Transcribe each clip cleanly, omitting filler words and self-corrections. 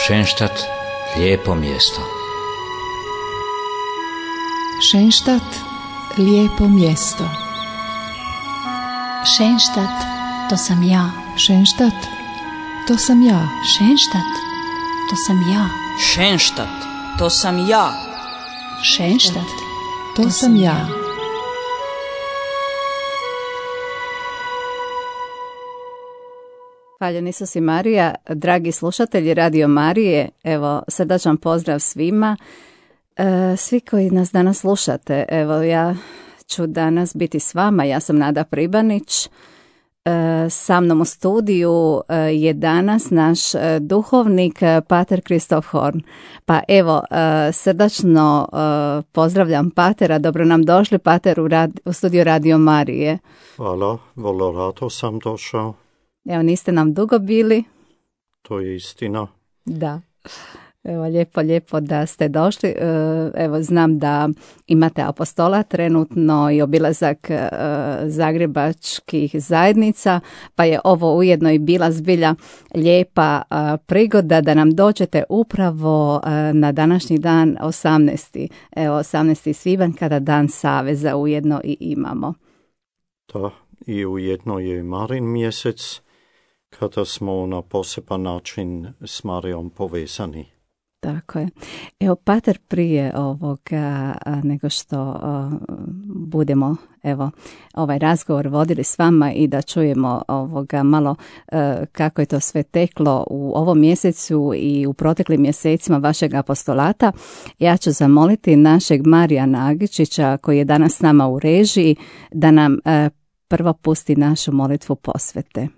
Šenštat, lijepo mjesto. Šenštat, lijepo mjesto. Šenštat, to sam ja. Šenštat, to sam ja. Šenštat, to sam ja. Šenštat, to sam ja. Šenštat, To sam ja. Hvaljen Isus i Marija, dragi slušatelji Radio Marije, evo srdačan pozdrav svima, svi koji nas danas slušate. Evo ja ću danas biti s vama, ja sam Nada Pribanić, sa mnom u studiju je danas naš duhovnik Pater Kristof Horn. Pa evo, srdačno pozdravljam Patera, dobro nam došli Pater u studiju Radio Marije. Hvala, vrlo rado sam došao. Evo, niste nam dugo bili. To je istina. Da. Evo, lijepo da ste došli. Evo, znam da imate apostola trenutno i obilazak zagrebačkih zajednica, pa je ovo ujedno i bila zbilja lijepa prigoda da nam dođete upravo na današnji dan 18. svibanj, kada dan Saveza ujedno i imamo. Da, i ujedno je Marin mjesec, kada smo na poseban način s Marijom povezani. Tako je. Evo, Pater, prije ovoga, nego što budemo ovaj razgovor vodili s vama i da čujemo malo kako je to sve teklo u ovom mjesecu i u proteklim mjesecima vašeg apostolata, ja ću zamoliti našeg Marijana Agičića, koji je danas s nama u režiji, da nam prvo pusti našu molitvu posvete.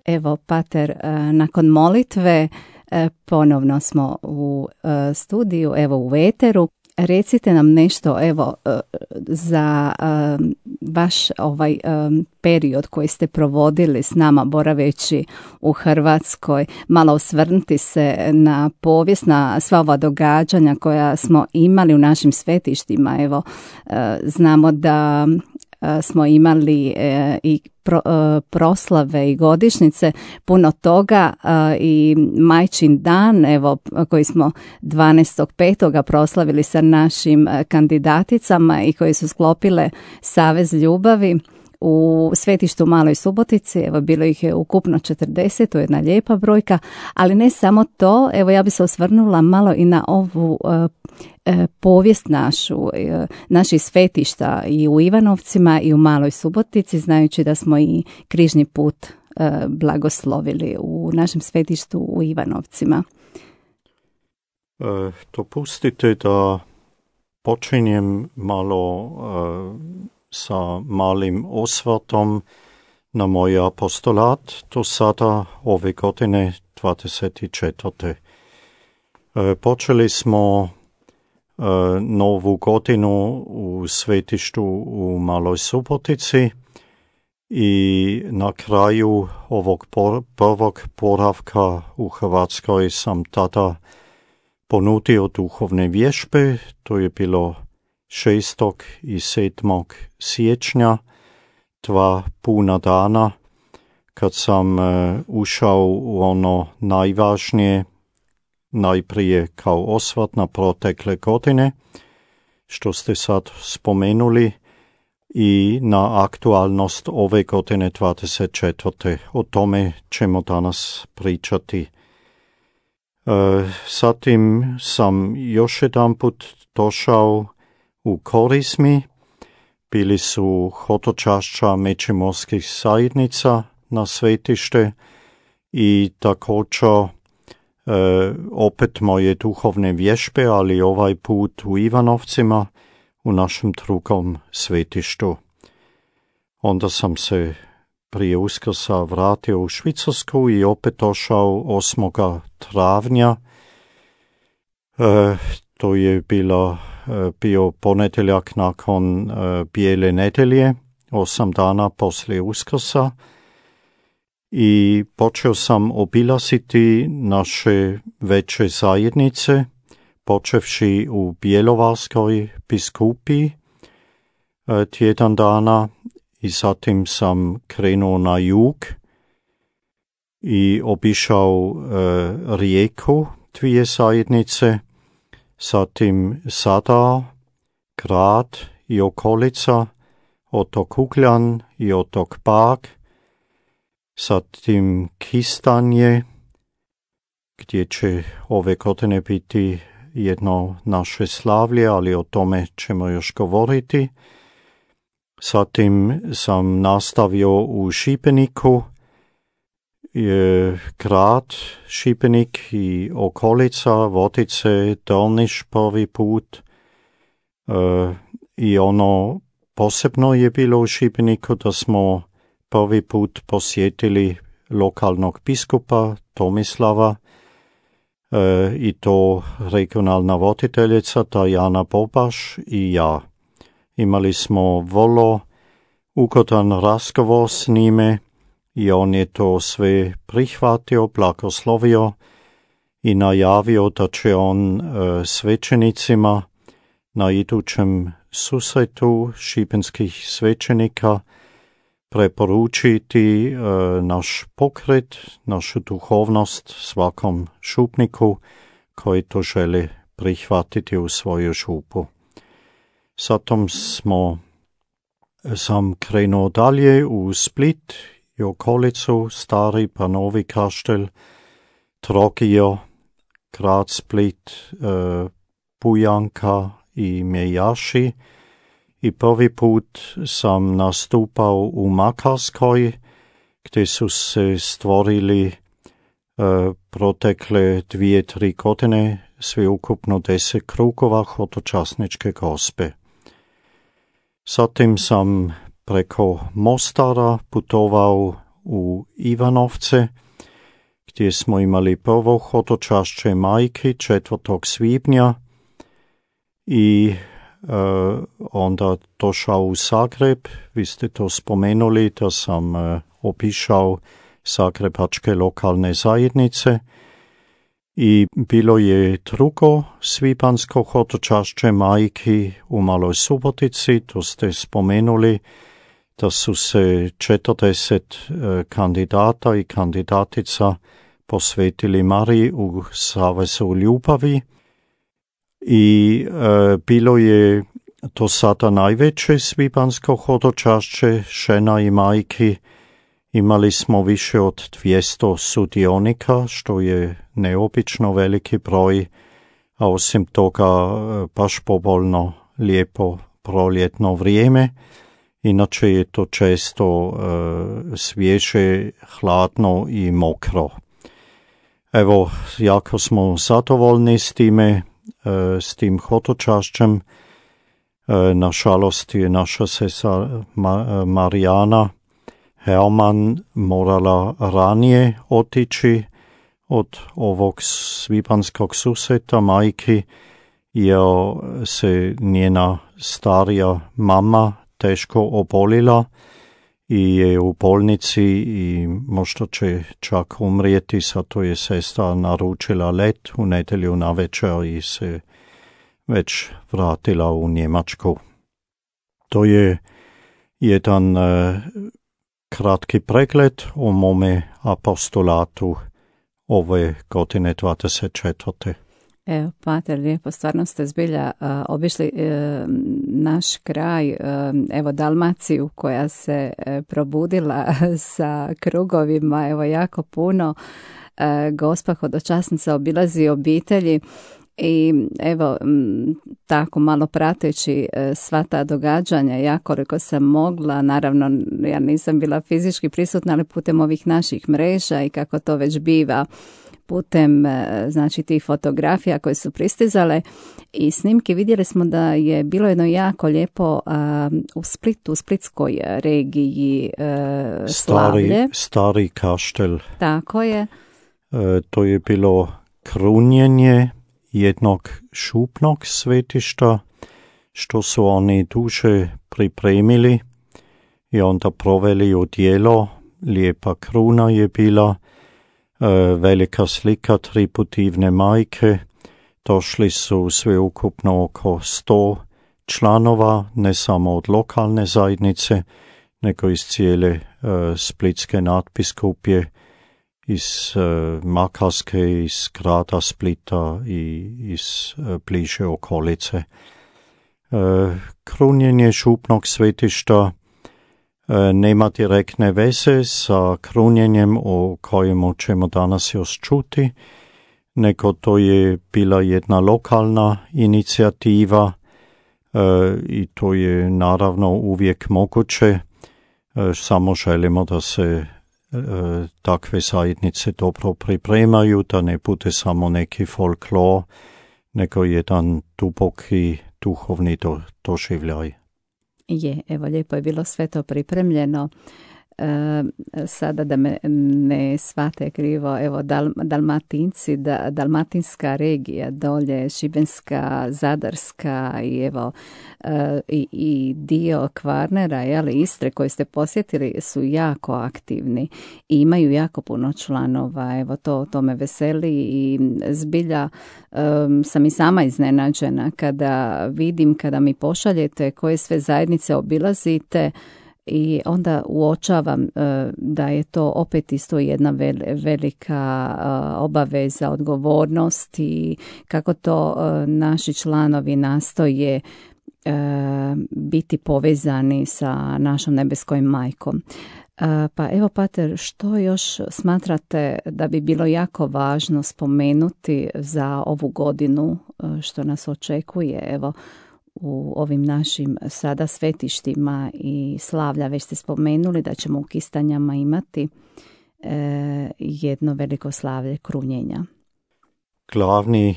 Evo, Pater, nakon molitve ponovno smo u studiju, evo u eteru. Recite nam nešto, evo, za vaš period koji ste provodili s nama boraveći u Hrvatskoj, malo osvrnuti se na povijest, na sva ova događanja koja smo imali u našim svetištima. Evo, znamo da smo imali i proslave i godišnjice, puno toga, i Majčin dan, evo, koji smo 12.5. proslavili sa našim kandidaticama i koji su sklopile Savez ljubavi u svetištu Maloj Subotici. Evo, bilo ih je ukupno 40, to je jedna lijepa brojka, ali ne samo to, evo, ja bi se osvrnula malo i na ovu povijest naših svetišta i u Ivanovcima i u Maloj Subotici, znajući da smo i križni put blagoslovili u našem svetištu u Ivanovcima. Dopustite da počinjem malo sa malim osvrtom na moj apostolat, do sada ove godine 24. Počeli smo novu godinu u svetištu u Maloj Subotici i na kraju ovog prvog boravka u Hrvatskoj sam tada ponudio duhovne vježbe. To je bilo 6. i 7. siječnja, 2 puna dana, kad sam ušao u ono najvažnije, najprije kao osvrt na protekle godine, što ste sad spomenuli, i na aktualnost ove godine 24. O tome ćemo danas pričati. Zatim sam još jedanput došao u Korizmi. Bili su hodočašća međimurskih zajednica na svetište i također opet moje duhovne vježbe, ali ovaj put u Ivanovcima, u našem drugom svetištu. Onda sam se prije Uskrsa vratio u Švicarsku i opet došao 8. travnja. To je bio ponedjeljak nakon Bijele nedjelje, 8 dana poslije Uskrsa, i počeo sam obilaziti naše veće zajednice, počevši u Bjelovarskoj biskupiji tjedan dana, i zatim sam krenuo na jug i obišao Rijeku, 2 zajednice, zatim Zadar, grad i okolica, otok Ugljan i otok Pag, zatim Kistanje, gdje će ove godine biti jedno naše slavlje, ali o tome ćemo još govoriti. Zatim sam nastavio u Šibeniku, grad Šibenik i okolica, Vodice, Drniš prvi put. I ono posebno je bilo u Šibeniku da smo prvi put posjetili lokalnog biskupa Tomislava, i to regionalna voditeljica Tajana Bobaš i ja. Imali smo vrlo ugodan razgovor s njime i on je to sve prihvatio, blagoslovio i najavio da će on svećenicima na idućem susretu šibenskih svećenika preporučiti naš pokret, našu duhovnost svakom župniku koji to želi prihvatiti u svoju župu. Zatim sam krenuo dalje u Split i okolicu, Stari pa Novi Kaštel, Trogir, grad Split, Bujanka i Mejaši. I prvi put sam nastupao u Makarskoj, gdje su se stvorili protekle 2-3 godine sveukupno 10 krugova hodočasničke gospe. Zatim sam preko Mostara putovao u Ivanovce, gdje smo imali prvo hodočašće majki 4. svibnja i onda došao u Zagreb. Vi ste to spomenuli da sam obišao zagrebačke lokalne zajednice i bilo je drugo svibansko hodočašće majki u Maloj Subotici. To ste spomenuli da su se 40 kandidata i kandidatica posvetili Mariji u Savezu ljubavi. I bilo je do sada najveće svibansko hodočašće žena i majki. Imali smo više od 200 sudionika, što je neobično veliki broj, a osim toga baš povoljno, lijepo proljetno vrijeme. Inače je to često svježe, hladno i mokro. Evo, jako smo zadovoljni s time, s tim hodočašćem. Nažalost je naša sestra Marijana Herman morala ranije otići od ovog svibanskog susreta majki, jer se njena starija mama teško obolila i je u bolnici i možda će čak umrijeti, zato je sestra naručila let u nedjelju navečer i se već vratila u Njemačku. To je jedan kratki pregled o mome apostolatu ove godine 24. Evo, pater, lijepo, stvarno ste zbilja obišli naš kraj, evo Dalmaciju koja se probudila sa krugovima, evo jako puno. Gospa hodočasnica obilazi obitelji i evo tako malo prateći sva ta događanja, ja koliko sam mogla, naravno ja nisam bila fizički prisutna, ali putem ovih naših mreža i kako to već biva, putem znači tih fotografija koje su pristizale i snimke, vidjeli smo da je bilo jedno jako lijepo u Splitu, u splitskoj regiji slavlje. Stari kaštel. Tako je. To je bilo krunjenje jednog šupnog svetišta, što su oni duže pripremili i onda proveli u djelo. Lijepa kruna je bila, velika slika triputivne majke. Došli su sveukupno oko 100 članova, ne samo od lokalne zajednice, nego iz cijele splitske nadbiskupije, iz Makarske, iz grada Splita i iz bliže okolice. Krunjenje šupnog svetišta nema direktne veze sa krunjenjem o kojemu ćemo danas još čuti, nego to je bila jedna lokalna inicijativa i to je naravno uvijek moguće, samo želimo da se takve zajednice dobro pripremaju, da ne bude samo neki folklor, nego jedan duboki duhovni doživljaj. Je, evo lijepo je bilo sve to pripremljeno. Sada da me ne shvate krivo, evo Dalmatinci, dalmatinska regija, dolje Šibenska, Zadarska i evo i dio Kvarnera, Istre koje ste posjetili su jako aktivni i imaju jako puno članova, evo to me veseli i zbilja sam i sama iznenađena kada vidim, kada mi pošaljete koje sve zajednice obilazite. I onda uočavam da je to opet isto jedna velika obaveza, odgovornost i kako to naši članovi nastoje biti povezani sa našom nebeskom majkom. Pa evo, pater, što još smatrate da bi bilo jako važno spomenuti za ovu godinu što nas očekuje, evo, u ovim našim sada svetištima i slavlja? Već ste spomenuli da ćemo u Kistanjama imati jedno veliko slavlje krunjenja. Glavni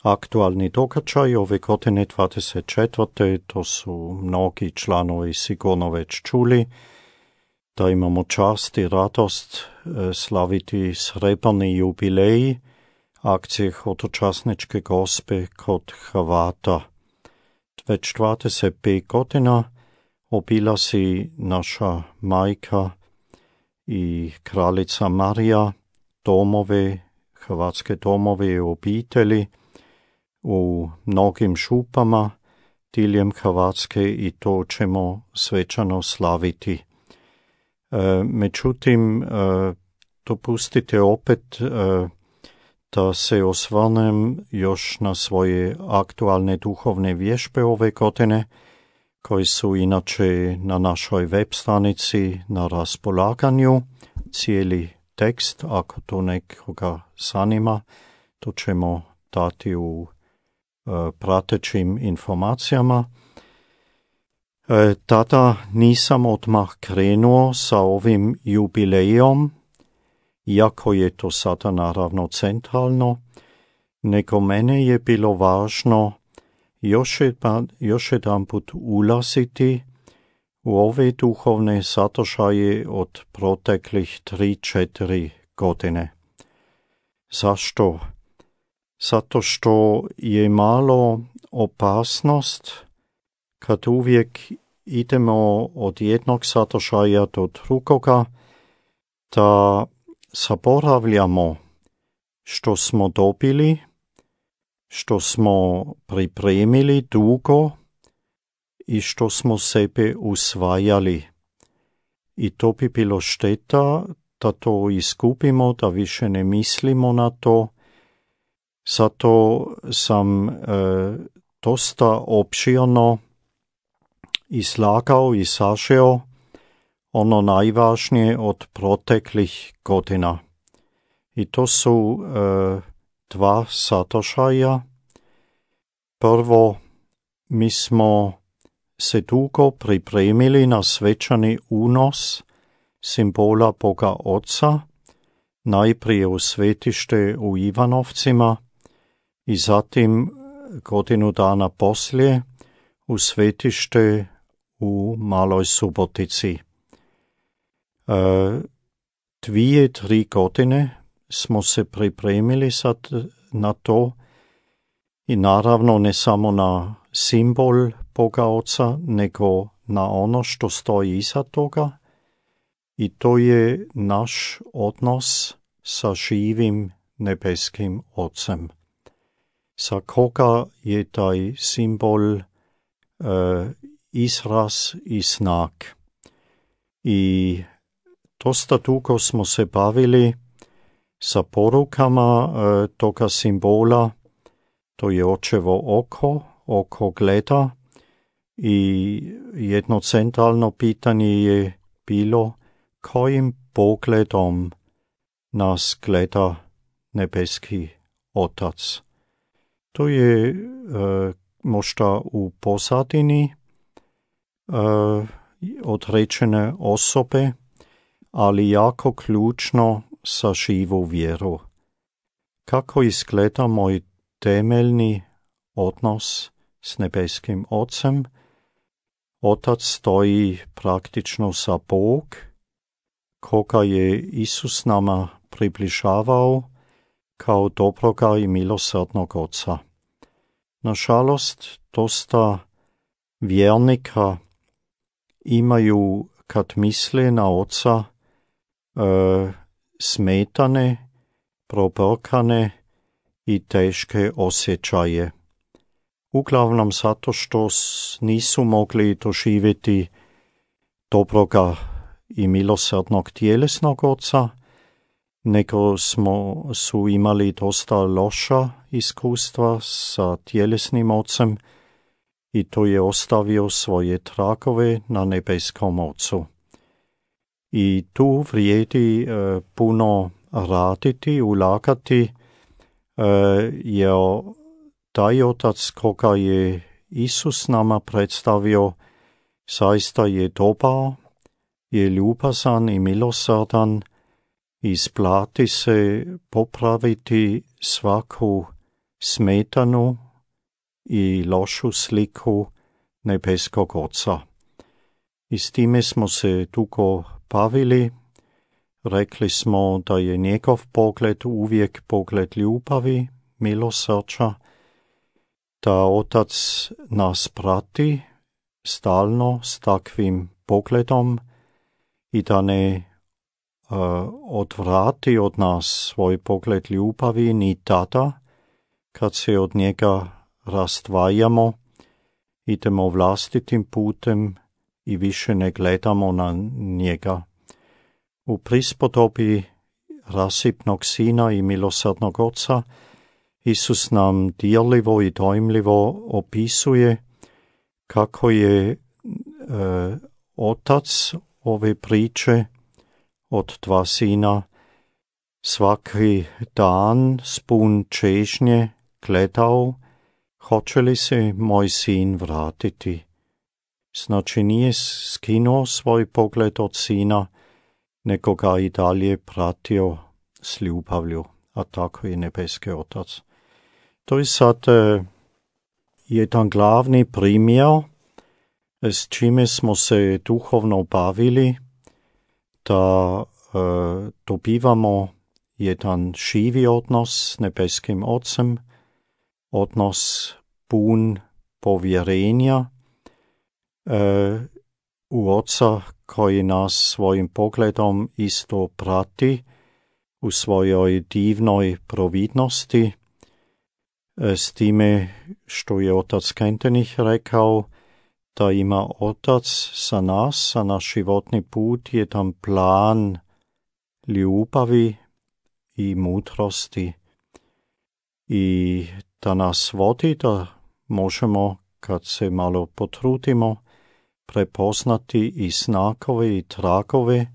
aktualni događaj ove godine 24. to su mnogi članovi sigurno već čuli, da imamo čast i radost slaviti srebrni jubilej akcije hodočasničke gospe kod Hrvata. Već 25 godina obilazi naša majka i kraljica Marija domove, hrvatske domove i obitelji u mnogim župama diljem Hrvatske i to ćemo svečano slaviti. Međutim, dopustite opet da se osvrnem još na svoje aktualne duhovne vježbe ove godine, koji su inače na našoj web stranici na raspolaganju. Cijeli tekst, ako to nekoga zanima, to ćemo dati u pratećim informacijama. Tada nisam odmah krenuo sa ovim jubilejom, iako je to sada naravno centralno, nego mene je bilo važno još jedanput ulaziti u ove duhovne sadržaje od proteklih 3-4 godine. Zašto? Zato što je malo opasnost kad uvijek idemo od jednog sadržaja do drugoga, da zaboravljamo što smo dobili, što smo pripremili dugo i što smo sebe usvajali. I to bi bilo šteta da to izgubimo, da više ne mislimo na to. Zato sam dosta opširno izlagao i sažeo ono najvažnije od proteklih godina. I to su dva sadržaja. Prvo, mi smo se dugo pripremili na svečani unos simbola Boga Oca, najprije u svetište u Ivanovcima i zatim godinu dana poslije u svetište u Maloj Subotici. 2-3 godine smo se pripremili sad na to i naravno ne samo na simbol Boga Oca, nego na ono što stoji iza toga, i to je naš odnos sa živim nebeskim Ocem. Za koga je taj simbol izraz i znak. I dosta dugo smo se bavili sa porukama toga simbola. To je očevo oko gleda, i jedno centralno pitanje je bilo kojim pogledom nas gleda nebeski Otac. To je možda u pozadini određene osobe, ali jako ključno za živu vjeru. Kako izgleda moj temeljni odnos s nebeskim Ocem? Otac stoji praktično za Bog, koga je Isus nama približavao kao dobroga i milosrdnog Oca. Nažalost, dosta vjernika imaju, kad misle na Oca, smetane, probrkane i teške osjećaje. Uglavnom zato što nisu mogli doživjeti dobroga i milosrdnog tjelesnog Oca, nego su imali dosta loša iskustva sa tjelesnim Ocem, i to je ostavio svoje tragove na nebeskom Ocu. I tu vrijedi puno raditi, ulagati, jer taj Otac koga je Isus nama predstavio zaista je dobar, je ljubazan i milosrdan, isplati se popraviti svaku smetanu i lošu sliku nebeskog Oca. I s time smo se dugo bavili. Rekli smo da je njegov pogled uvijek pogled ljubavi, milosrđa, da Otac nas prati stalno s takvim pogledom i da ne odvrati od nas svoj pogled ljubavi ni tada kad se od njega razdvajamo, idemo vlastitim putem i više ne gledamo na njega. U prispodobi rasipnog Sina i milosrdnog Oca Isus nam dirljivo i dojmljivo opisuje kako je Otac ove priče od dva sina svaki dan s pun čežnje gledao, hoće li se moj sin vratiti? Znači nije skinuo svoj pogled od sina, nego ga i dalje pratio s ljubavlju, a tako i nebeski Otac. To je sad jedan glavni primjer s čime smo se duhovno bavili, da dobivamo jedan živi odnos s nebeskim Otcem, odnos pun povjerenja u Oca koji nas svojim pogledom isto prati u svojoj divnoj providnosti, s time što je otac Kentenich rekao da ima Otac za nas, za naš životni put, jedan plan ljubavi i mudrosti i da nas vodi da možemo, kad se malo potrudimo, prepoznati i znakove i tragove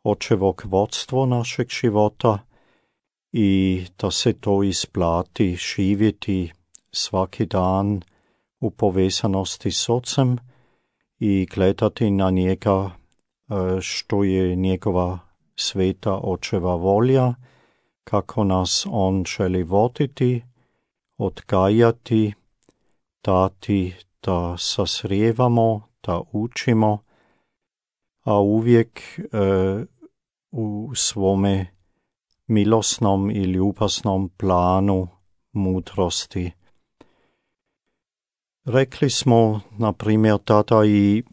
očevog vodstva našeg života i da se to isplati živjeti svaki dan u povezanosti s Ocem i gledati na njega što je njegova sveta očeva volja, kako nas on želi voditi, odgajati, dati da sazrijevamo, da učimo, a uvijek u svome milosnom i ljubaznom planu mudrosti. Rekli smo, na primjer, tada i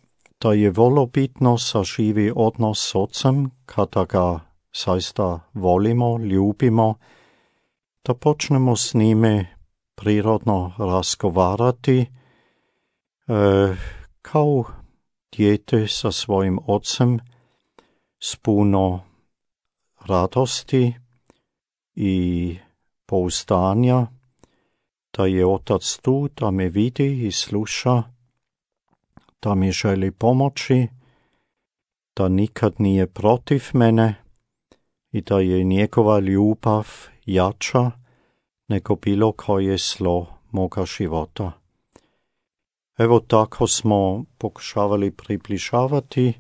da je vrlo bitno saživi odnos s Ocem, kada ga zaista volimo, ljubimo, da počnemo s njime prirodno razgovarati, kao dijete sa svojim Ocem, s puno radosti i pouzdanja, da je Otac tu, da me vidi i sluša, da mi želi pomoći, da nikad nije protiv mene i da je njegova ljubav jača nego bilo koje zlo moga života. Evo tako smo pokušavali približavati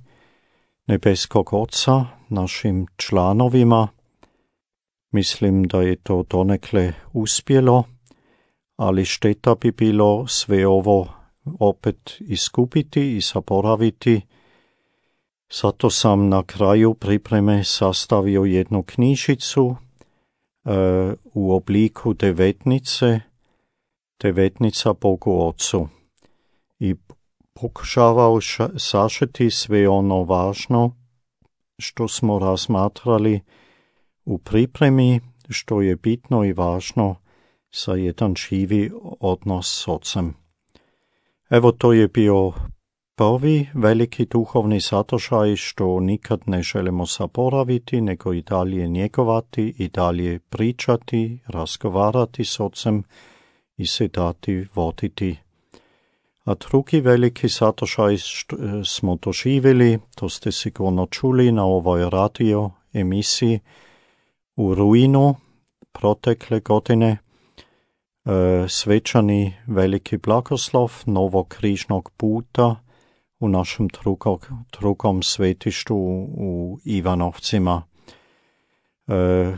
nebeskog Oca našim članovima. Mislim da je to donekle uspjelo, ali šteta bi bilo sve ovo opet izgubiti i zaboraviti. Zato sam na kraju pripreme sastavio jednu knjižicu u obliku devetnica Bogu Ocu i pokušavao sažeti sve ono važno što smo razmatrali u pripremi, što je bitno i važno za jedan živi odnos s Ocem. Evo, to je bio prvi veliki duhovni sadržaj što nikad ne želimo zaboraviti, nego i dalje njegovati, i dalje pričati, razgovarati s Ocem i se dati voditi. A drugi veliki sadržaj smo doživjeli, to ste sigurno čuli na ovoj radio emisiji u rujnu protekle godine, svečani veliki blagoslov novog križnog puta u našem drugom svetištu u Ivanovcima.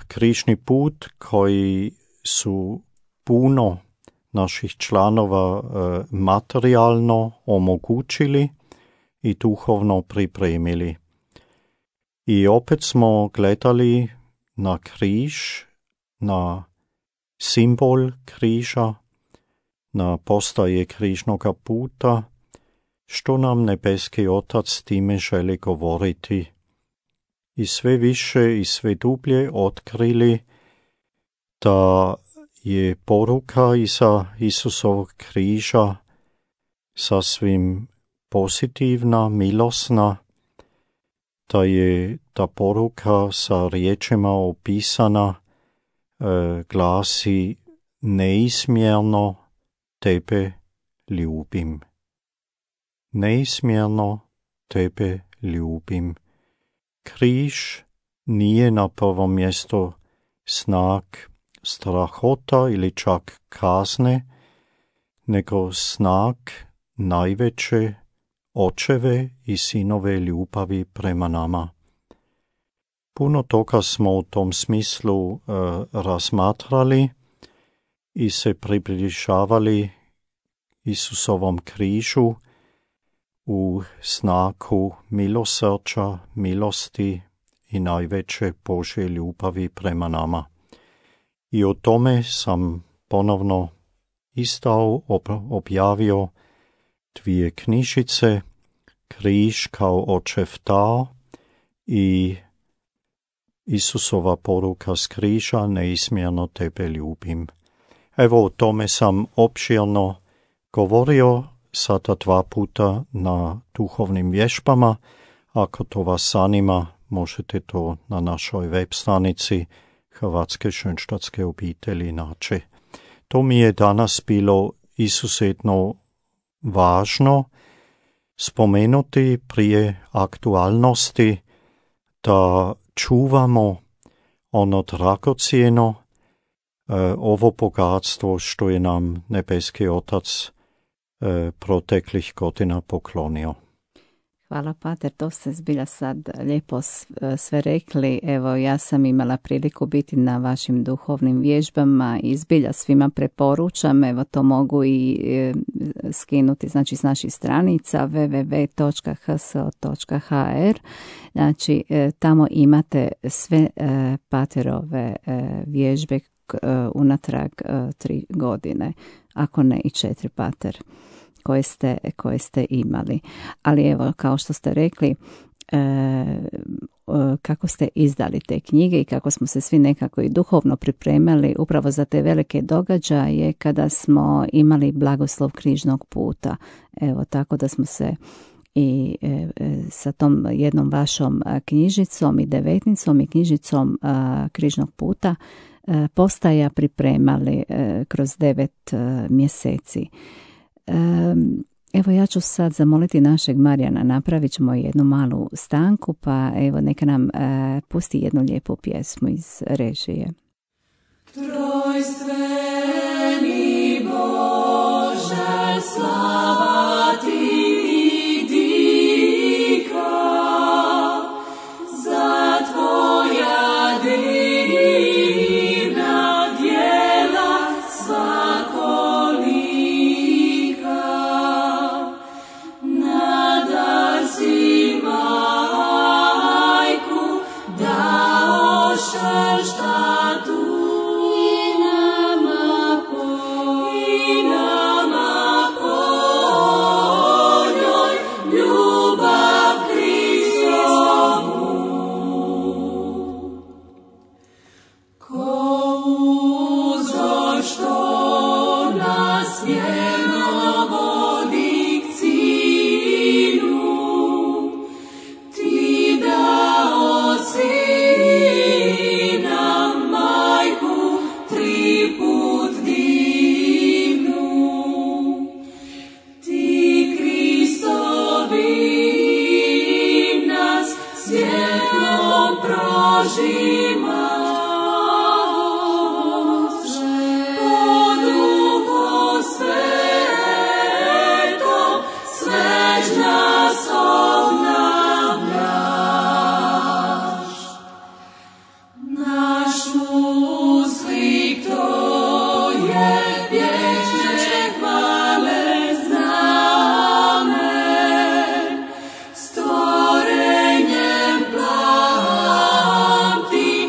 Križni put koji su puno naših članova materijalno omogućili i duhovno pripremili. I opet smo gledali na križ, na simbol križa, na postaje križnoga puta, što nam nebeski Otac time želi govoriti. I sve više i sve dublje otkrili da je poruka iza Isusovog križa sasvim pozitivna, milosna, da je ta poruka sa riječima opisana, glasi: neizmjerno tebe ljubim. Neizmjerno tebe ljubim. Križ nije na prvom mjestu znak strahota ili čak kazne, nego znak najveće očeve i sinove ljubavi prema nama. Puno toga smo u tom smislu razmatrali i se približavali Isusovom križu u znaku milosrđa, milosti i najveće Božje ljubavi prema nama. I o tome sam ponovno istao, objavio 2 knjižice, Križ kao očev dar i Isusova poruka s križa, neizmjerno tebe ljubim. Evo o tome sam opširno govorio sada 2 puta na duhovnim vježbama. Ako to vas zanima, možete to na našoj web stranici Hrvatske Schönstadtske obitelji naći. To mi je danas bilo izuzetno važno spomenuti prije aktualnosti, da čuvamo ono dragocjeno, ovo bogatstvo što je nam nebeski Otac proteklih godina poklonio. Hvala, pater, to ste zbilja sad lijepo sve rekli. Evo, ja sam imala priliku biti na vašim duhovnim vježbama i zbilja svima preporučam. Evo, to mogu i skinuti, znači s naših stranica www.hso.hr. Znači, tamo imate sve paterove vježbe unatrag 3 godine, ako ne i 4, pater, koje ste imali. Ali evo, kao što ste rekli, kako ste izdali te knjige i kako smo se svi nekako i duhovno pripremali upravo za te velike događaje kada smo imali blagoslov križnog puta. Evo, tako da smo se i sa tom jednom vašom knjižicom i devetnicom i knjižicom križnog puta postaja pripremali kroz 9 mjeseci. Evo, ja ću sad zamoliti našeg Marijana, napravit ćemo jednu malu stanku, pa evo neka nam pusti jednu lijepu pjesmu iz režije. Trojstveni Bože, slava ti i dika, za tvoja divna djela svakolika. Nadar si majku dao Schönstadtu, stvorenjem plamti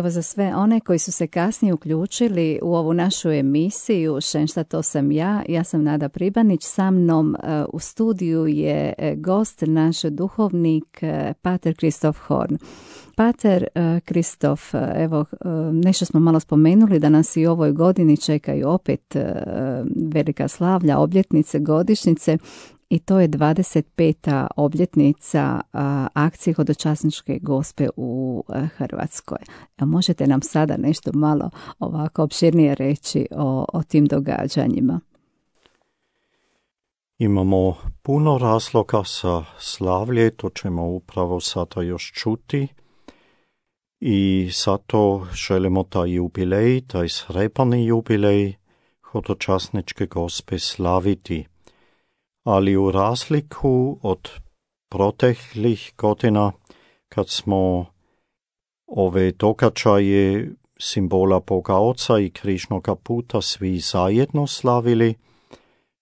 evo za sve one koji su se kasnije uključili u ovu našu emisiju Šenšta, to sam ja. Ja sam Nada Pribanić. Sa mnom u studiju je gost, naš duhovnik, pater Kristof Horn. Pater Kristof, evo, nešto smo malo spomenuli da nas i u ovoj godini čekaju opet velika slavlja, obljetnice, godišnjice. I to je 25. obljetnica akcije Hodočasničke gospe u Hrvatskoj. Možete nam sada nešto malo ovako opširnije reći o tim događanjima? Imamo puno razloga za slavlje, to ćemo upravo sada još čuti. I zato želimo taj jubilej, taj srebrni jubilej Hodočasničke gospe slaviti. Ali u razliku od proteklih godina, kad smo ove događaje simbola Boga Oca i križnoga puta svi zajedno slavili,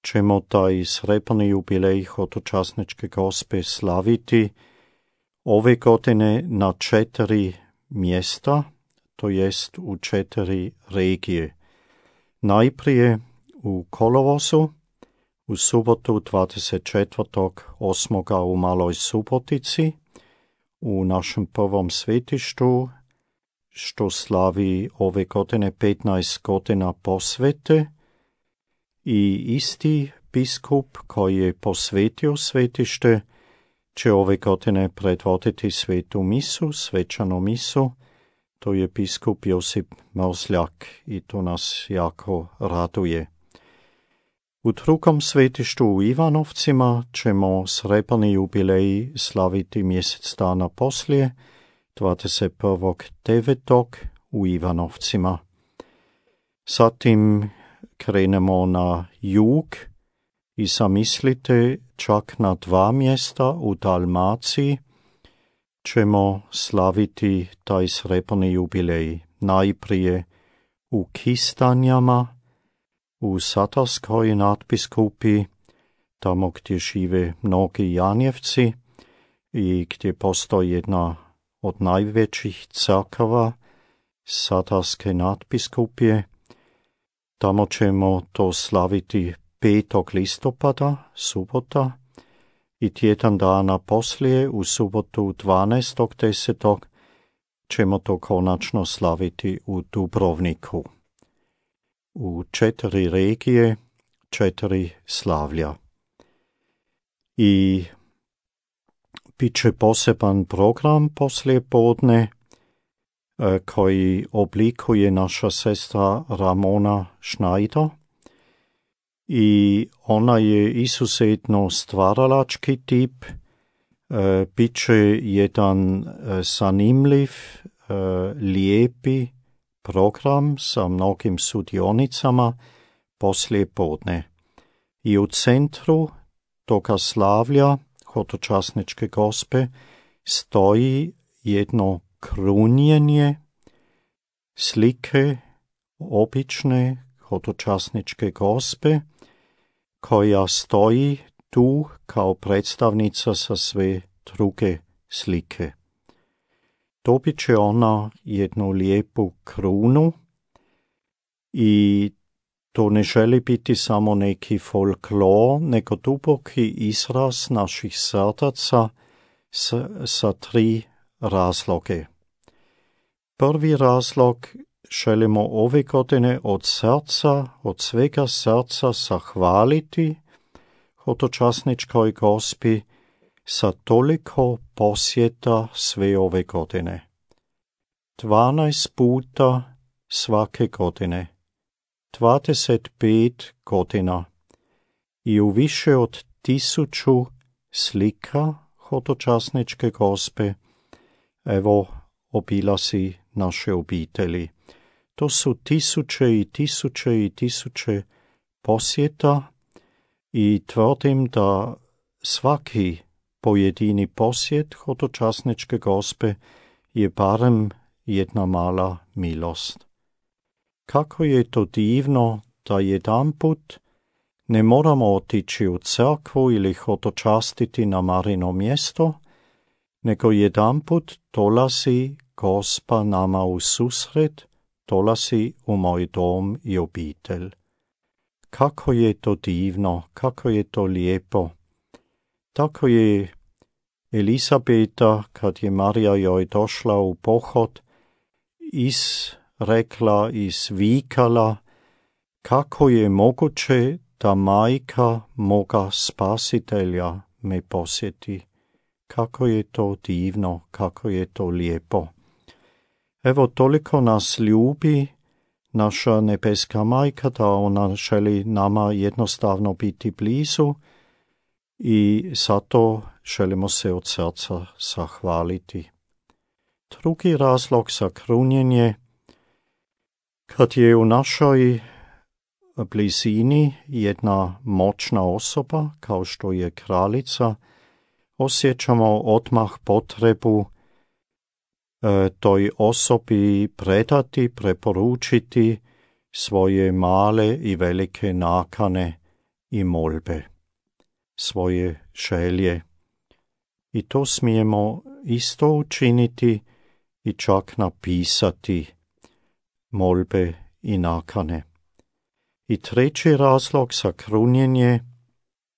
ćemo taj srebrni jubilej Hodočasničke gospe slaviti ove godine na 4 mjesta, to jest u 4 regije. Najprije u kolovozu, u subotu 24.8. u Maloj Subotici, u našem prvom svetištu, što slavi ove godine 15 godina posvete, i isti biskup koji je posvetio svetište će ove godine predvoditi svetu misu, svečanu misu. To je biskup Josip Mrzljak i to nas jako raduje. U drugom svetištu u Ivanovcima ćemo srebrni jubilej slaviti mjesec dana poslije, 21.9. u Ivanovcima. Zatim krenemo na jug i zamislite, čak na 2 mjesta u Dalmaciji ćemo slaviti taj srebrni jubilej. Najprije u Kistanjama, u Satarskoj nadbiskupi, tamo gdje žive mnogi Janjevci i gdje postoji jedna od najvećih crkava Satarske nadbiskupije. Tamo ćemo to slaviti 5. listopada, subota, i tjedan dana poslije, u subotu 12.10. ćemo to konačno slaviti u Dubrovniku. U 4 regije, 4 slavlja. I bit će poseban program poslije podne koji oblikuje naša sestra Ramona Schneider. I ona je izuzetno stvaralački tip. Bit će jedan zanimljiv, lijepi program sa mnogim sudionicama poslije podne. I u centru toga slavlja Hodočasničke gospe stoji jedno krunjenje slike obične Hodočasničke gospe, koja stoji tu kao predstavnica sa sve druge slike. Dobit će ona jednu lijepu krunu i to ne želi biti samo neki folklor, nego duboki izraz naših srdaca sa 3 razloge. Prvi razlog, želimo ove godine od srca, od svega srca zahvaliti Hodočasničkoj gospi sa toliko posjeta sve ove godine. 12 puta svake godine, 25 godina i u više od 1000 slika Hodočasničke gospe, evo, obilazi naše obitelji. To su tisuće i tisuće i tisuće posjeta i tvrdim da svaki pojedini posjet Hodočasničke gospe je barem jedna mala milost. Kako je to divno da jedanput ne moramo otići u crkvu ili hodočastiti na Marino mjesto, nego jedanput dolazi Gospa nama u susret, dolazi u moj dom i obitelj. Kako je to divno, kako je to lijepo. Tako je Elisabeta, kad je Marija joj došla u pohod, izrekla, izvikala, kako je moguće da majka moga spasitelja me posjeti. Kako je to divno, kako je to lijepo. Evo, toliko nas ljubi naša nebeska majka, da ona želi nama jednostavno biti blizu i zato želimo se od srca zahvaliti. Drugi razlog za krunjenje, kad je u našoj blizini jedna moćna osoba, kao što je kraljica, osjećamo odmah potrebu toj osobi predati, preporučiti svoje male i velike nakane i molbe, svoje želje. I to smijemo isto učiniti i čak napisati molbe i nakane. I treći razlog za krunjenje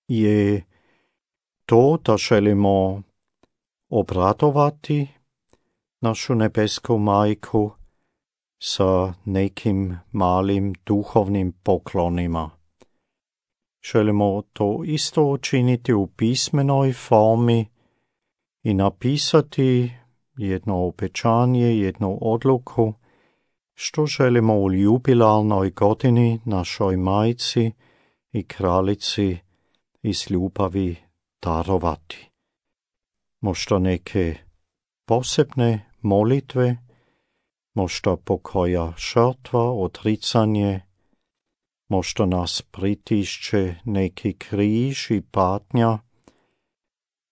je to da želimo obradovati našu nebesku majku sa nekim malim duhovnim poklonima. Želimo to isto učiniti u pismenoj formi i napisati jedno obećanje, jednu odluku, što želimo u jubilarnoj godini našoj majci i kraljici iz ljubavi darovati. Možda neke posebne molitve, možda pokoja žrtva, odricanje, možda nas pritišće neki križ i patnja,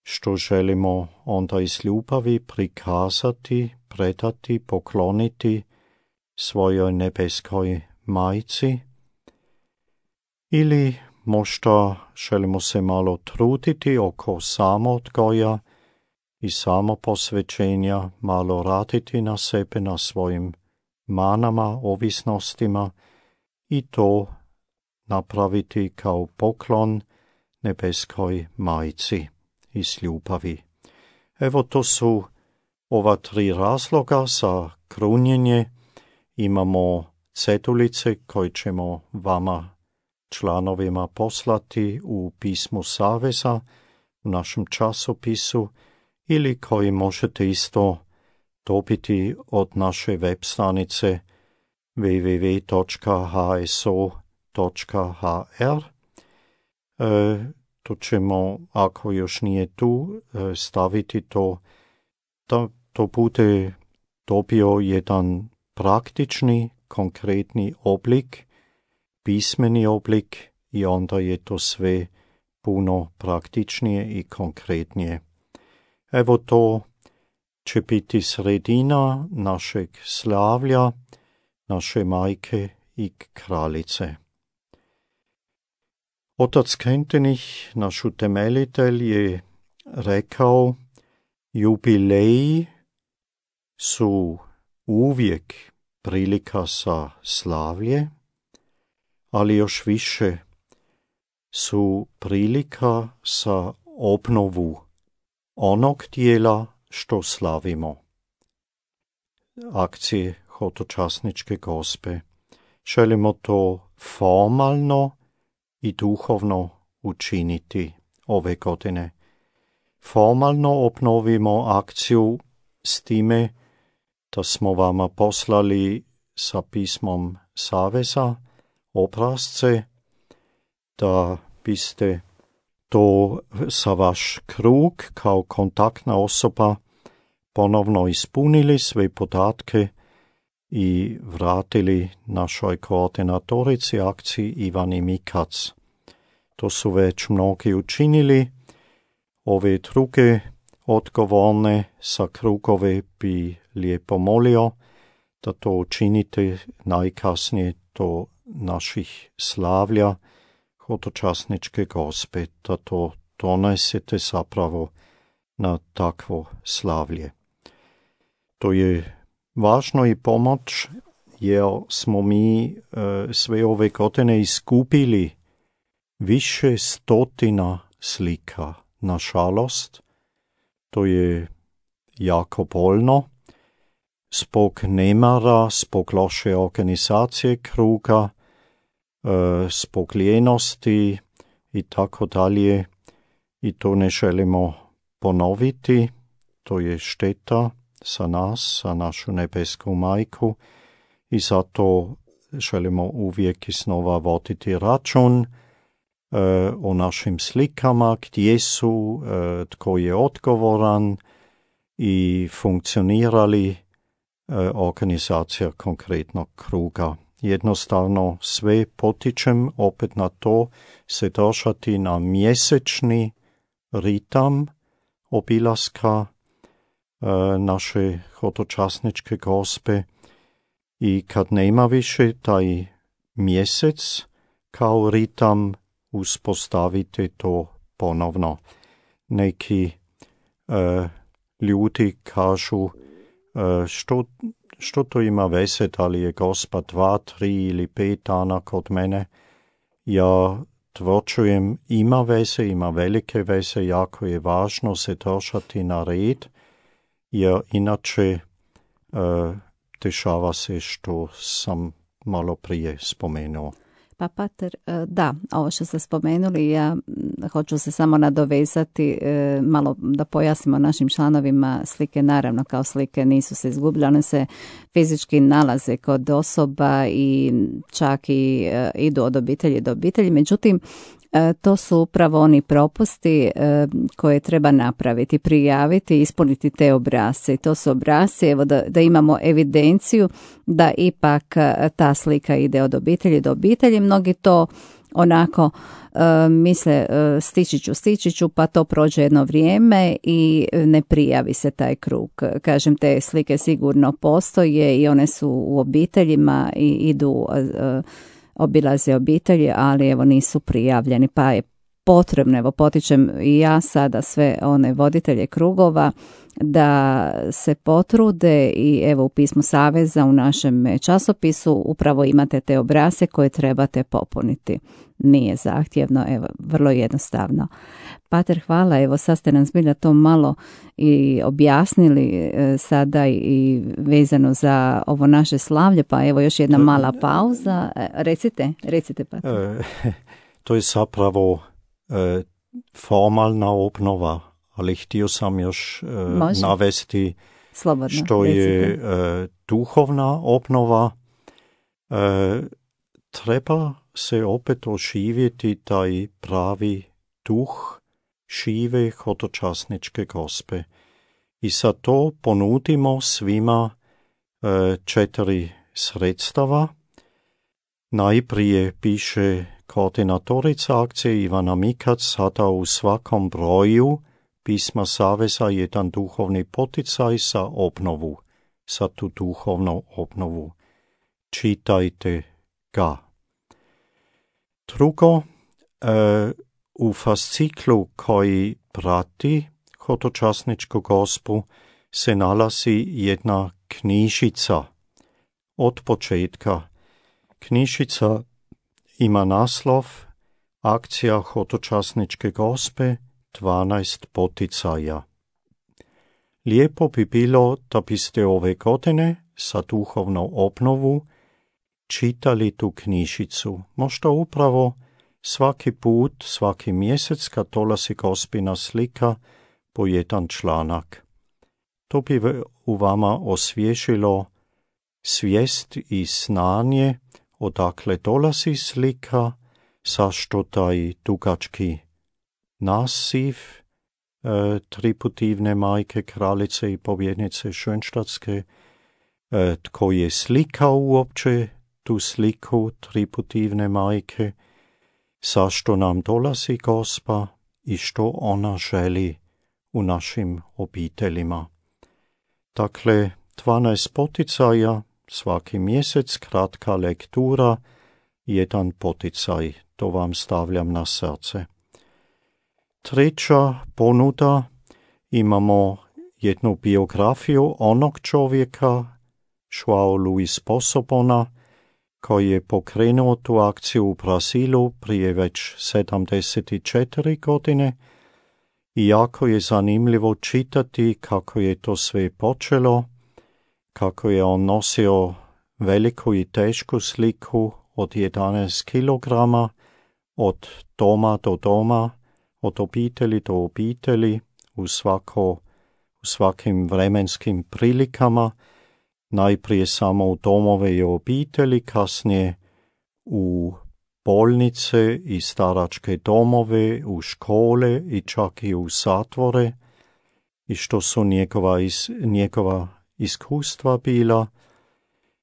što želimo onda iz ljubavi prikazati, predati, pokloniti svojoj nebeskoj majci. Ili možda želimo se malo truditi oko samoodgoja i samoposvećenja, malo raditi na sebe, na svojim manama, ovisnostima i to napraviti kao poklon nebeskoj majci iz ljubavi. Evo, to su ova 3 razloga za krunjenje. Imamo cedulice koje ćemo vama, članovima, poslati u pismu Saveza, u našem časopisu, ili koji možete isto dobiti od naše web stranice www.hso.hr. Tu ćemo, ako još nije tu, staviti to, da to bude dobio jedan praktični, konkretni oblik, pismeni oblik, i onda je to sve puno praktičnije i konkretnije. Evo, to će biti sredina našeg slavlja, naše majke i kraljice. Otac Kentenich, naš utemeljitelj, je rekao, jubileji su uvijek prilika za slavlje, ali još više su prilika za obnovu onog dijela što slavimo. Akcije hodočasničke gospe. Želimo to formalno i duhovno učiniti ove godine. Formalno obnovimo akciju s time da smo vama poslali sa pismom Saveza obrasce, da biste to sa vaš krug kao kontaktna osoba ponovno ispunili sve podatke i vratili našoj koordinatorici akciji Ivani Mikac. To su već mnogi učinili. Ove druge odgovorne sa krugove bi lijepo molio da to učinite najkasnije do naših slavlja hodočasničke gospe, da to donesete zapravo na takvo slavlje. To je važno i pomoć, jer smo mi sve ove godine iskupili više stotina slika. Nažalost, to je jako bolno. Zbog nemara, zbog loše organizacije kruga, zbog lijenosti i tako dalje. I to ne želimo ponoviti. To je šteta za nas, za našu nebesku majku. I zato želimo uvijek iznova voditi račun o našim slikama, gdje su, tko je odgovoran i funkcionirali organizacija konkretnog kruga. Jednostavno sve potičem opet na to se držati na mjesečni ritam obilaska naše hodočasničke gospe i kad nema više taj mjesec kao ritam, uspostavite to ponovno. Neki ljudi kažu što to ima veze, da li je gospa 2, 3 ili 5 dana kod mene. Ja tvrđujem, ima veze, ima velike veze, jako je važno se držati na red, jer inače dešava se što sam malo prije spomenuo. Pa pater, da, ovo što ste spomenuli, ja hoću se samo nadovezati, malo da pojasnimo našim članovima, slike naravno kao slike nisu se izgubile, one se fizički nalaze kod osoba i čak i idu od obitelji do obitelji, međutim to su upravo oni propusti koje treba napraviti, prijaviti, ispuniti te obrasce. I to su obrasci, evo da imamo evidenciju da ipak ta slika ide od obitelji do obitelji. Mnogi to onako misle stići ću, pa to prođe jedno vrijeme i ne prijavi se taj krug. Kažem, te slike sigurno postoje i one su u obiteljima i idu obilaze obitelji, ali evo nisu prijavljeni, pa je potrebno, evo potičem i ja sada sve one voditelje krugova da se potrude i evo u pismu Saveza u našem časopisu upravo imate te obrasce koje trebate popuniti. Nije zahtjevno, evo vrlo jednostavno. Pater, hvala, evo sad ste nam zbilja to malo i objasnili sada i vezano za ovo naše slavlje, pa evo još jedna mala pauza. Recite Pater. To je zapravo formalna obnova, ali htio sam još navesti slobodno, što je duhovna obnova. Treba se opet oživjeti taj pravi duh žive hodočasničke gospe. I sad to ponudimo svima 4 sredstava. Najprije piše koordinatorica akcije Ivana Mikac, sada u svakom broju pisma Saveza jedan duhovni poticaj za obnovu, za tu duhovnu obnovu. Čitajte ga. Drugo, u fasciklu koji prati hodočasničku gospu se nalazi jedna knjižica od početka. Knjižica ima naslov Akcija hodočasničke gospe 12 poticaja. Lijepo bi bilo da biste ove godine za duhovnu obnovu čitali tu knjižicu. Možda upravo svaki put, svaki mjesec kad dolazi gospina slika po jedan članak. To bi u vama osvježilo svijest i znanje odakle dolazi slika, zašto taj dugački naziv triputivne majke, kraljice i pobjednice Schönstadtske, tko je slikao uopće tu sliku triputivne majke, zašto nam dolazi Gospa i što ona želi u našim obiteljima. Dakle, 12 poticaja, svaki mjesec kratka lektura, jedan poticaj, to vam stavljam na srce. Treća ponuda imamo jednu biografiju onog čovjeka, Joao Luis Posobona, koji je pokrenuo tu akciju u Brazilu prije već 74 godine i jako je zanimljivo čitati kako je to sve počelo, kako je on nosio veliku i tešku sliku od 11 kilograma, od doma do doma, od obitelji do obitelji, u svakim vremenskim prilikama, najprije samo u domove i obitelji, kasnije u bolnice i staračke domove, u škole i čak i u zatvore, i što su njegova iskustva bila.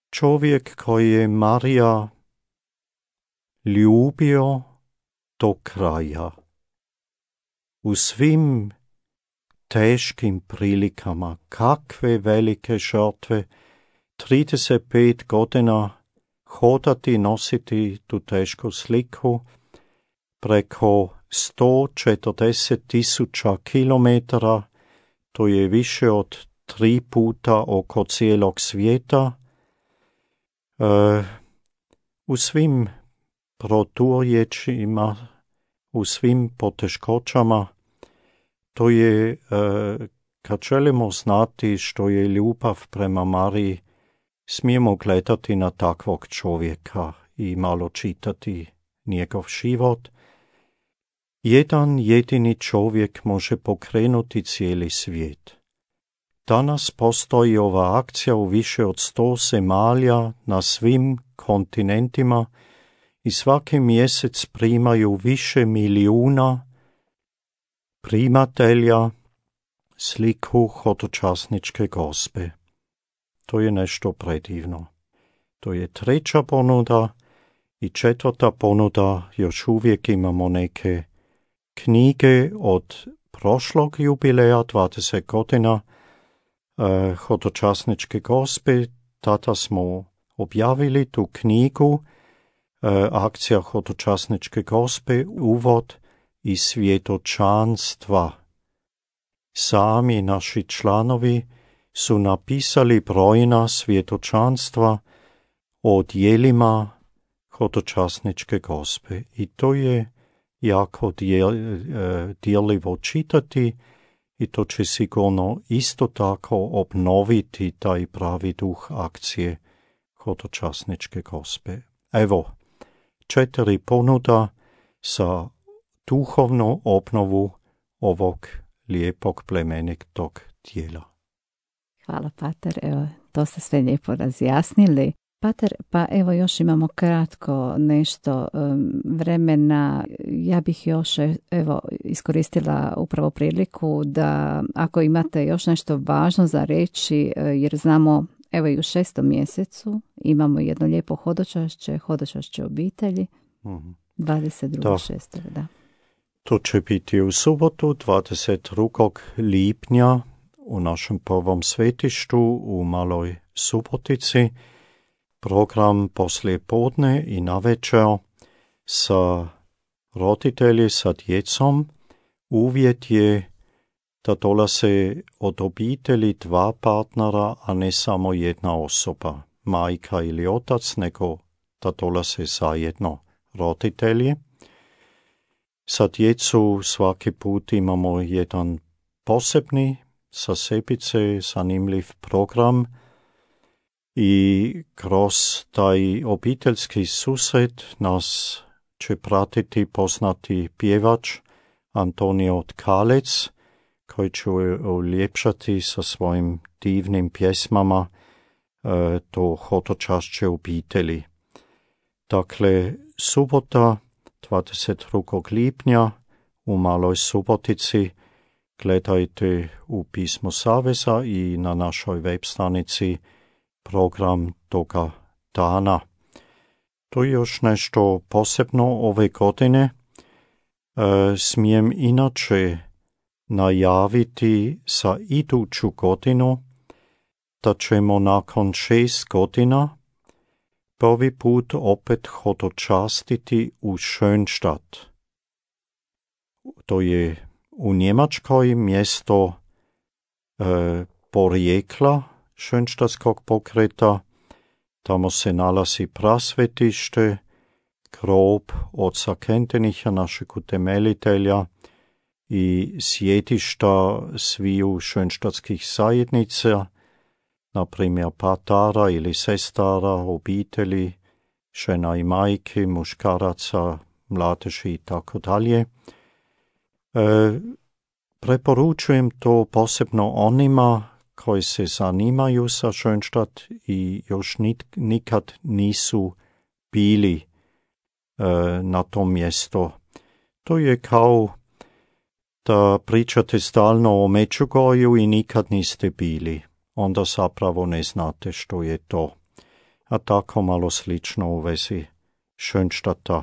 Čovjek koji je Marija ljubio do kraja. U svim teškim prilikama, kakve velike žrtve, 35 godina hodati, nositi tu tešku sliku, preko 140.000 kilometara, to je više od 3 puta oko cijelog svijeta. U svim proturječima, u svim poteškoćama, to je, kad želimo znati što je ljubav prema Mariji, smijemo gledati na takvog čovjeka i malo čitati njegov život. Jedan jedini čovjek može pokrenuti cijeli svijet. Danas postoji ova akcija u više od 100 zemalja na svim kontinentima i svaki mjesec primaju više milijuna primatelja sliku hodočasničke Gospe. To je nešto predivno. To je 3. ponuda i 4. ponuda. Još uvijek imamo neke knjige od prošlog jubileja, 20 godina hodočasničke Gospe. Tada smo objavili tu knjigu, akcija hodočasničke Gospe, uvod i svjedočanstva. Sami naši članovi su napisali brojna svjedočanstva o djelima hodočasničke Gospe i to je jako djeljivo čitati i to će sigurno isto tako obnoviti taj pravi duh akcije hodočasničke Gospe. Evo, 4 ponuda za duhovnu obnovu ovog lijepog plemenitog tijela. Hvala, pater. Evo, to ste sve lijepo razjasnili. Pater, pa evo još imamo kratko nešto vremena. Ja bih još iskoristila upravo priliku da ako imate još nešto važno za reći, jer znamo evo i u 6. mjesecu imamo jedno lijepo hodočašće obitelji, 22.6. Da. To će biti u subotu 22. lipnja u našem prvom svetištu u Maloj Subotici. Program poslije podne i navečer sa roditelji, sa djecom. Uvjet je da dolaze od obitelji 2 partnera, a ne samo jedna osoba, majka ili otac, nego da dolaze zajedno roditelji. Sa djecu svaki put imamo jedan posebni, sa sebice zanimljiv program i kroz taj obiteljski susret nas će pratiti poznati pjevač Antonio Tkalec, koji će uljepšati sa svojim divnim pjesmama to hodočašće obitelji. Dakle, subota 22. lipnja u Maloj Subotici. Gledajte u Pismu Saveza i na našoj web stranici program toga dana. To je još nešto posebno ove godine. Smijem inače najaviti za iduću godinu da ćemo nakon 6 godina prvi put opet hodočastiti u Schönstadt. To je u Njemačkoj mjesto porijekla Schönstadtskog pokreta. Tamo se nalazi prasvetište, grob oca Kentenicha, našeg utemeljitelja, i sjetišta sviju Schönstadtskih zajednica, na primjer patara ili sestara, obitelji, žena i majke, muškaraca, mladeži i tako dalje. Preporučujem to posebno onima koji se zanimaju za Schönstadt i još nikad nisu bili na tom mjestu. To je kao da pričate stalno o Međugorju i nikad niste bili. Onda zapravo ne znate što je to. A tako malo slično u vezi Schönstadta.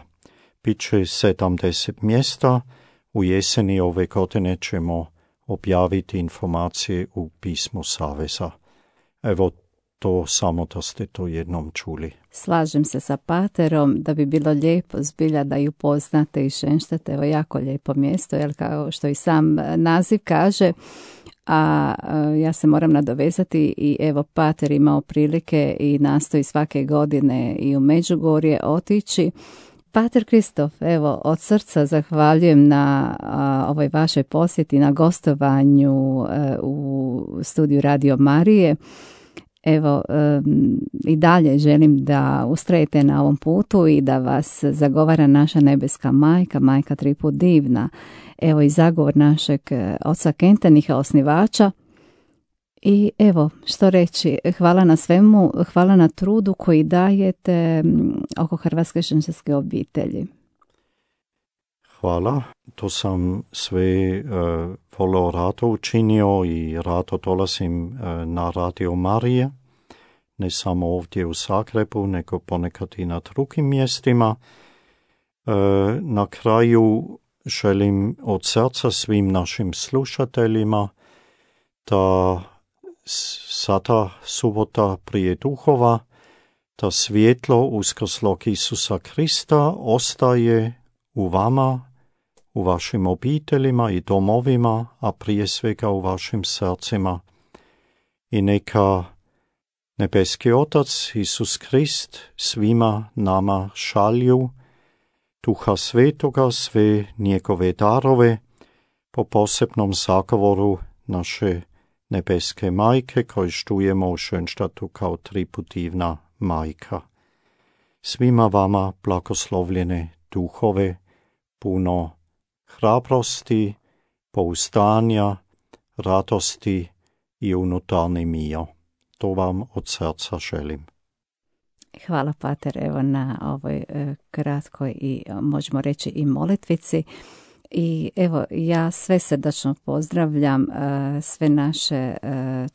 Biće 70 mjesta. U jeseni ove godine ćemo objaviti informacije u pismu Saveza. Evo to samo da ste to jednom čuli. Slažem se sa paterom da bi bilo lijepo zbilja da ju poznate i Schönstadt, evo jako lijepo mjesto, jer kao što i sam naziv kaže, a ja se moram nadovezati i evo pater imao prilike i nastoji svake godine i u Međugorje otići. Pater Kristof, evo od srca zahvaljujem na ovoj vašoj posjeti, na gostovanju u studiju Radio Marije. Evo, i dalje želim da ustrajete na ovom putu i da vas zagovara naša nebeska majka, majka triput divna. Evo i zagovor našeg oca Kentenicha, osnivača. I evo, što reći, hvala na svemu, hvala na trudu koji dajete oko Hrvatske šenštatske obitelji. Hvala, to sam sve vrlo rado učinio i rado dolazim na Radio Marije, ne samo ovdje u Zagrebu, nego ponekad i na drugim mjestima. Na kraju želim od srca svim našim slušateljima da sada subota prije duhova, da svjetlo uskrslog Isusa Krista ostaje u vama, u vašim obiteljima i domovima, a prije svega u vašim srcima. I neka nebeski Otac, Isus Krist, svima nama šalju Duha Svetoga, sve njegove darove, po posebnom zagovoru naše nebeske majke, koju štujemo u Schönstadtu kao triput divna majka. Svima vama blagoslovljene duhove, puno hrabrosti, pouzdanja, radosti i unutarnji mir. To vam od srca želim. Hvala pater, evo na ovoj kratkoj i možemo reći i molitvici. I evo, ja sve srdačno pozdravljam sve naše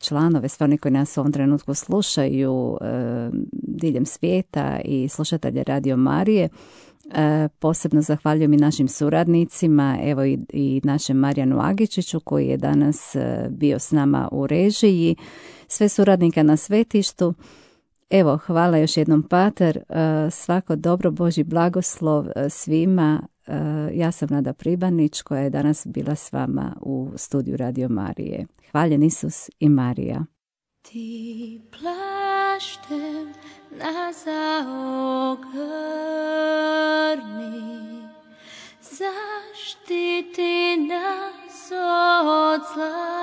članove, sve oni koji nas u ovom trenutku slušaju diljem svijeta i slušatelje Radio Marije. Posebno zahvaljujem i našim suradnicima, evo i našem Marijanu Agičiću koji je danas bio s nama u režiji, sve suradnika na svetištu. Evo, hvala još jednom pater, svako dobro, Božji blagoslov svima. Ja sam Nada Pribanić koja je danas bila s vama u studiju Radio Marije. Hvaljen Isus i Marija. Ti plaštem nas zaogrni, zaštiti nas od zla.